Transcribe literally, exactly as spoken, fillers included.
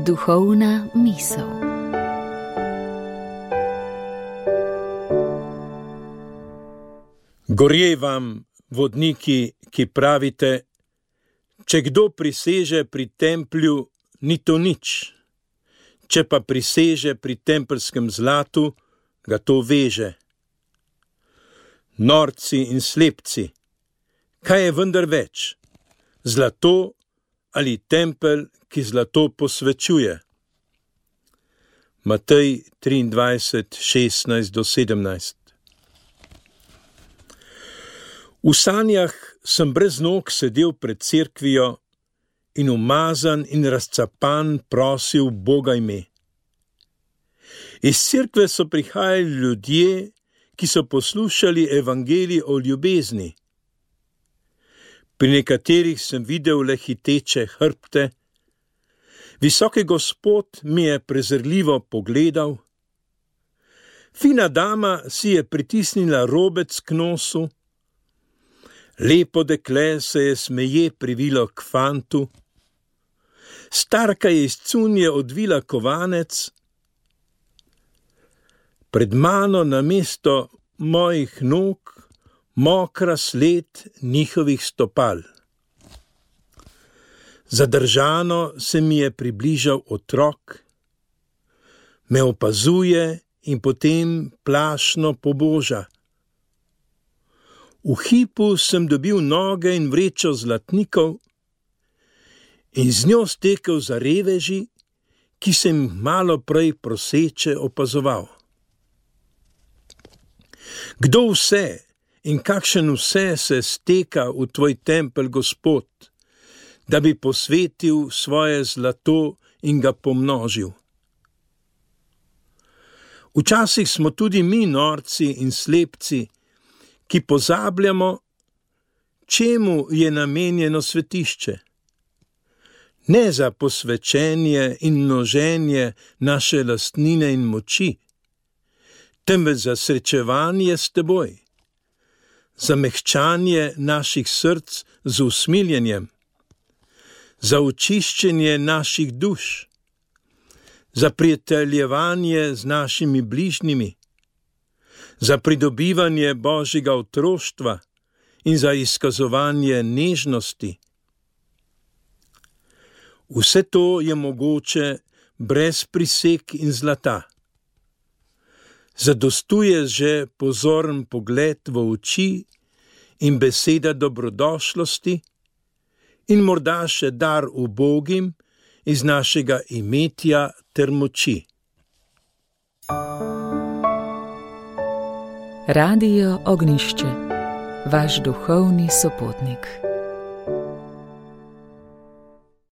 Duhovna misel. Gorje vam, vodniki, ki pravite, če kdo priseže pri templju, ni to nič, če pa priseže pri templjskem zlatu, ga to veže. Norci in slepci, kaj je vendar več, zlato ali tempelj, ki zlato posvečuje? Matej triindvajset, šestnajst do sedemnajst. V sanjah sem brez nog sedel pred cerkvijo in umazan in razcapan prosil Boga ime. Iz cerkve so prihajali ljudje, ki so poslušali evangelij o ljubezni. Pri nekaterih sem videl le hiteče hrbte, visoki Gospod mi je prezrljivo pogledal, fina dama si je pritisnila robec k nosu, lepo dekle se je smeje privilo k fantu, starka je iz cunje odvila kovanec, pred mano namesto mojih nog mokra sled njihovih stopal. Zadržano se mi je približal otrok, me opazuje in potem plašno poboža. V hipu sem dobil noge in vrečo zlatnikov in z njo stekel za reveži, ki sem malo prej proseče opazoval. Kdo vse in kakšen vse se steka v tvoj tempelj, Gospod, da bi posvetil svoje zlato in ga pomnožil? Včasih smo tudi mi norci in slepci, ki pozabljamo, čemu je namenjeno svetišče. Ne za posvečenje in množenje naše lastnine in moči, temveč za srečevanje s teboj, za mehčanje naših src z usmiljenjem, za očiščenje naših duš, za prijateljevanje z našimi bližnjimi, za pridobivanje Božjega otroštva in za izkazovanje nežnosti. Vse to je mogoče brez priseg in zlata. Zadostuje že pozoren pogled v oči in beseda dobrodošlosti in morda še dar ubogim iz našega imetja ter moči. Radio Ognjišče, vaš duhovni sopotnik.